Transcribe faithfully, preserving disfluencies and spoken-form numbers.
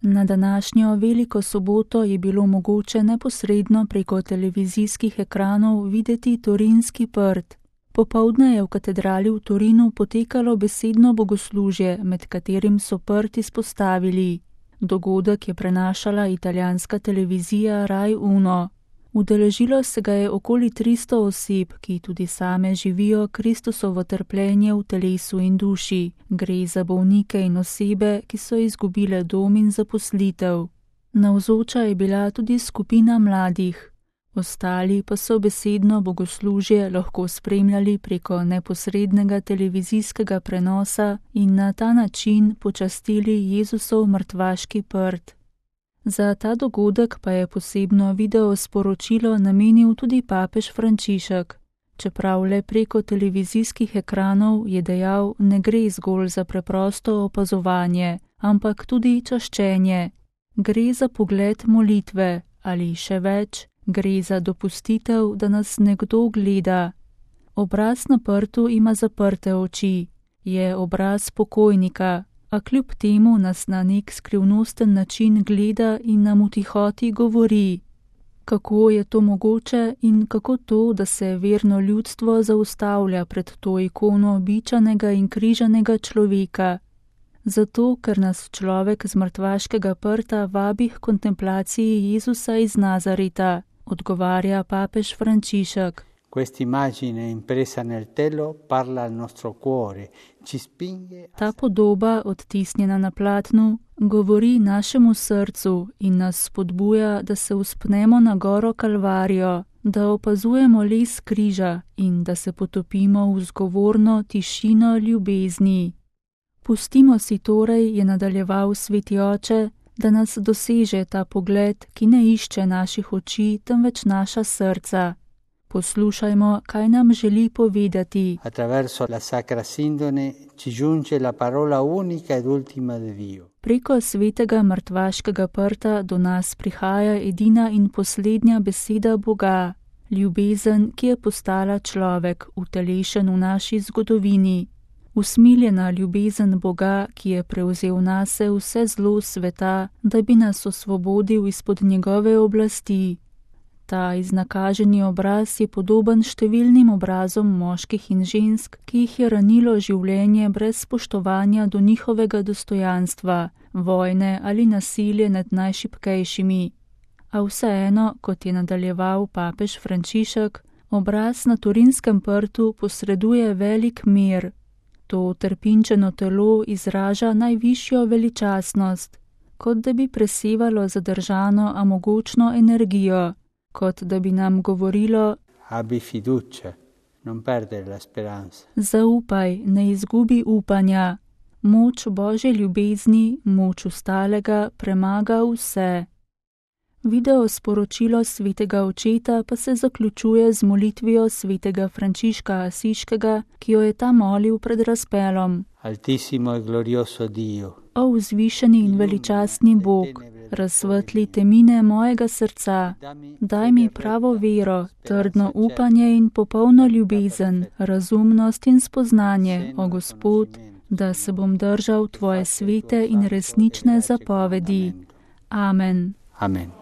Na današnjo veliko soboto je bilo mogoče neposredno preko televizijskih ekranov videti Torinski prt. Popoldne je v katedrali v Torinu potekalo besedno bogoslužje, med katerim so prt izpostavili. Dogodek je prenašala italijanska televizija Rai Uno. Udeležilo se ga je okoli tristo oseb, ki tudi same živijo Kristusovo trpljenje v telesu in duši. Gre za bolnike in osebe, ki so izgubile dom in zaposlitev. Navzoča je bila tudi skupina mladih. Ostali pa so besedno bogoslužje lahko spremljali preko neposrednega televizijskega prenosa in na ta način počastili Jezusov mrtvaški prt. Za ta dogodek pa je posebno video sporočilo namenil tudi papež Frančišek. Čeprav le preko televizijskih ekranov, je dejal, ne gre zgolj za preprosto opazovanje, ampak tudi čaščenje. Gre za pogled molitve ali še več, gre za dopustitev, da nas nekdo gleda. Obraz na prtu ima zaprte oči, je obraz pokojnika, a kljub temu nas na nek skrivnosten način gleda in nam v tihoti govori. Kako je to mogoče in kako to, da se verno ljudstvo zaustavlja pred to ikono bičanega in križanega človeka? Zato, ker nas človek z mrtvaškega prta vabi k kontemplaciji Jezusa iz Nazareta, odgovarja papež Frančišek. Ta podoba, odtisnjena na platnu, govori našemu srcu in nas spodbuja, da se vzpnemo na goro Kalvarijo, da opazujemo les križa in da se potopimo v zgovorno tišino ljubezni. Pustimo si torej, je nadaljeval sveti oče, da nas doseže ta pogled, ki ne išče naših oči, temveč naša srca. Poslušajmo, kaj nam želi povedati. Preko svetega mrtvaškega prta do nas prihaja edina in poslednja beseda Boga, ljubezen, ki je postala človek, utelešen v naši zgodovini. Usmiljena ljubezen Boga, ki je prevzel nase vse zlo sveta, da bi nas osvobodil izpod njegove oblasti. Ta iznakaženi obraz je podoben številnim obrazom moških in žensk, ki jih je ranilo življenje brez spoštovanja do njihovega dostojanstva, vojne ali nasilje nad najšibkejšimi. A vseeno, kot je nadaljeval papež Frančišek, obraz na Torinskem prtu posreduje velik mir. To trpinčeno telo izraža najvišjo veličastnost, kot da bi presevalo zadržano, a mogočno energijo, kot da bi nam govorilo: Abbi fiducia, non perdere la speranza. Zaupaj, ne izgubi upanja. Moč Božje ljubezni, moč ostalega premaga vse. Video sporočilo svetega očeta pa se zaključuje z molitvijo svetega Frančiška Asiškega, ki jo je ta molil pred razpelom. Altissimo e glorioso Dio. O vzvišeni in veličastni Bog, razsvetli temine mojega srca, daj mi pravo vero, trdno upanje in popolno ljubezen, razumnost in spoznanje, o Gospod, da se bom držal tvoje svete in resnične zapovedi. Amen. Amen.